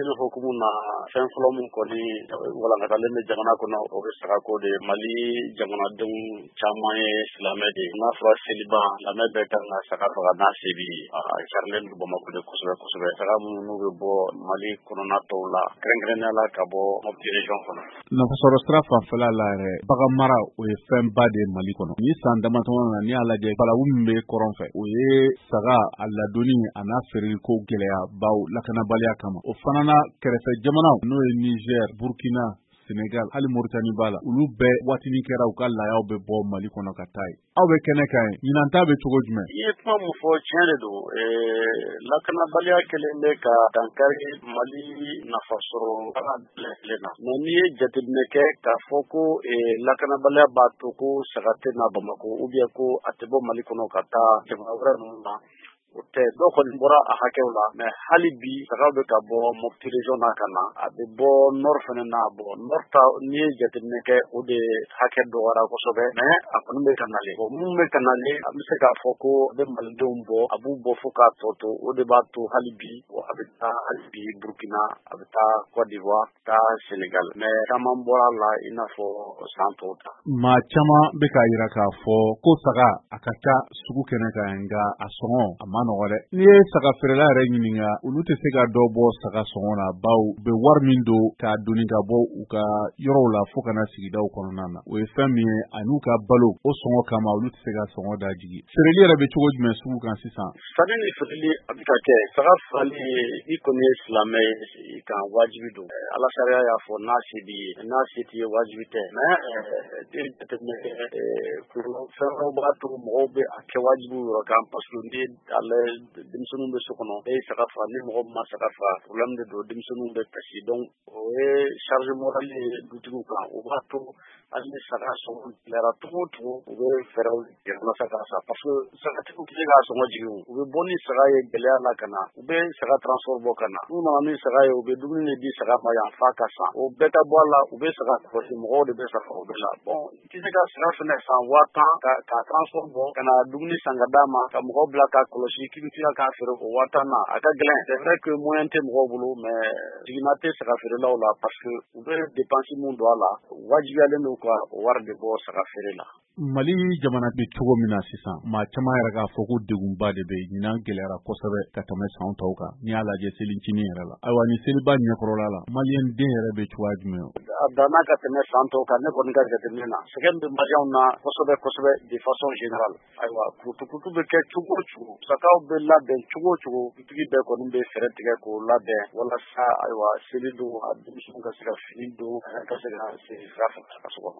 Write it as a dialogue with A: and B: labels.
A: Seli hukumu na, fɛn fɔlɔ min kɔni walankatalen bɛ jamana kɔnɔ, o bɛ sagako de ye. Mali jamanadenw caman ye silamɛ de ye. N'a fɔra seliba, silamɛ bɛɛ kan ka saga faga n'a se b'i ye. A carilen don Bamakɔ de kosɛbɛ kosɛbɛ. Saga minnu n'u bɛ bɔ Mali kɔnɔna tɔw la, kɛrɛnkɛrɛnnenya la ka bɔ Mopti région kɔnɔ.
B: Nafasɔrɔ sira fanfɛla la yɛrɛ, bagan mara, o ye fɛnba de ye Mali kɔnɔ. Ni san damatɔma na, n'i y'a lajɛ, balawu min bɛ kɔrɔn fɛ, o ye saga a ladonni a n'a feereli ko gɛlɛya baw lakanabaliya kama. O fana na, kɛrɛfɛ jamanaw, n'o ye Niger, Burkina, Senegal, hali Mauritanie b'a la, olu bɛɛ waatinin kɛra u ka layaw bɛ bɔ Mali kɔnɔ ka taa yen. Aw bɛ kɛnɛ kan ye, ɲinan ta bɛ cogo jumɛn?
A: I ye kuma min fɔ, tiɲɛ de don. Lakanabaliya kɛlen bɛ ka dankari Mali nafasɔrɔ baara bɛɛ na. Mais n'i ye jateminɛ kɛ k'a fɔ ko lakanabaliya b'a to ko saga tɛ na Bamakɔ ou bien ko a tɛ bɔ Mali kɔnɔ ka taa jamana wɛrɛ ninnu na, o tɛ. Dɔw kɔni bɔra a hakɛw la, mais hali bi sagaw bɛ ka bɔ Mopti région na ka na, a bɛ bɔ nord fana na. Bɔ nord ta, n'i ye jateminɛ kɛ, o de hakɛ dɔgɔyara kosɛbɛ, mais a kɔni bɛ ka nalen. Bon, mun bɛ ka nalen, an bɛ se k'a fɔ ko a bɛ malidenw bɔ, a b'u bɔ fo k'a tɔ to. O de b'a to hali bi a bɛ taa hali bi Burkina, a bɛ taa Côte d'Ivoire, taa Sénégal, mais caman bɔra a la i n'a fɔ san tɔw ta.
B: Maa caman bɛ k'a yira k'a fɔ ko saga a ka ca sugu kɛnɛ kan, nka a sɔngɔ a ma nɔgɔ dɛ. N'i ye saga feerela yɛrɛ ɲininka, olu tɛ se ka dɔ bɔ saga sɔngɔ na, baw u bɛ wari min don k'a doni ka bɔ u ka yɔrɔw la fo ka na sigidaw kɔnɔna na, o ye fɛn min ye, ani u ka balo o sɔngɔ kama, olu tɛ se ka sɔngɔ da jigi. Feereli yɛrɛ bɛ cogo jumɛn sugu kan sisan?
A: Sanni ni feereli a bɛ ka kɛ. Saga fagali, i kɔni ye silamɛ ye, i kan wajibi don. Ala sariya y'a fɔ n'a se b'i ye, n'a se t'i ye, wajibi tɛ. Mais jateminɛ kɛ, fɛn wɛrɛw b'a to mɔgɔw bɛ a kɛ wajibi yɔrɔ kan, parce que n'i ye ale denmisɛnninw bɛ so kɔnɔ, e ye saga faga, ni mɔgɔ min ma saga faga, problème de don, denmisɛnninw bɛ kasi. Donc o ye charge morale ye dutigiw kan. O b'a to hali ni saga sɔngɔ gɛlɛyara cogo o cogo, u bɛ fɛɛrɛw tigɛ walasa k'a san, parce que sagatigiw tɛ se k'a sɔngɔ jigin. U bɛ bɔ ni saga ye gɛlɛya la ka na, u bɛ saga transport bɔ ka na. N'u nana ni saga ye, u bɛ dumuni de di saga ma yan f'a ka san. O bɛɛ ka bɔ a la, u bɛ saga kɔlɔsi, mɔgɔw de bɛ saga o bɛɛ la. Bon, i tɛ se ka saga fɛnɛ san 10 000 ka transport bɔ ka na dumuni san ka d'a ma, ka mɔgɔw bila k'a kɔlɔsi, k'i bɛ tila k'a feere o 10 000 na, a ka gɛlɛn. C'est vrai que moyen tɛ mɔgɔw bolo, mais jiginna tɛ saga feerelaw la, parce que u bɛ dépense mun don a la, wajibiyalen don ka o wari de bɔ saga feere la.
B: Mali jamana bɛ cogo min na sisan, maa caman yɛrɛ k'a fɔ ko degunba de bɛ yen. Ɲinan gɛlɛyara kosɛbɛ ka tɛmɛ san tɔw kan, n'i y'a lajɛ selicinin yɛrɛ la. Ayiwa, ni seliba ɲɛkɔrɔla la, maliyɛn den yɛrɛ bɛ cogoya jumɛn?
A: A danna ka tɛmɛ san tɔw kan. Ne kɔni ka jateminɛ na, sɛgɛn bɛ maliyɛnw na kosɛbɛ kosɛbɛ, de façon générale. Ayiwa, kurutukurutu bɛ kɛ cogo o cogo, musakaw bɛ labɛn cogo o cogo, dutigi bɛɛ kɔni bɛ fɛɛrɛ tigɛ k'o labɛn walasa ayiwa seli don, a denmisɛnw ka se ka fini don, ka se ka sigi sira fɛ a ka so kɔnɔ.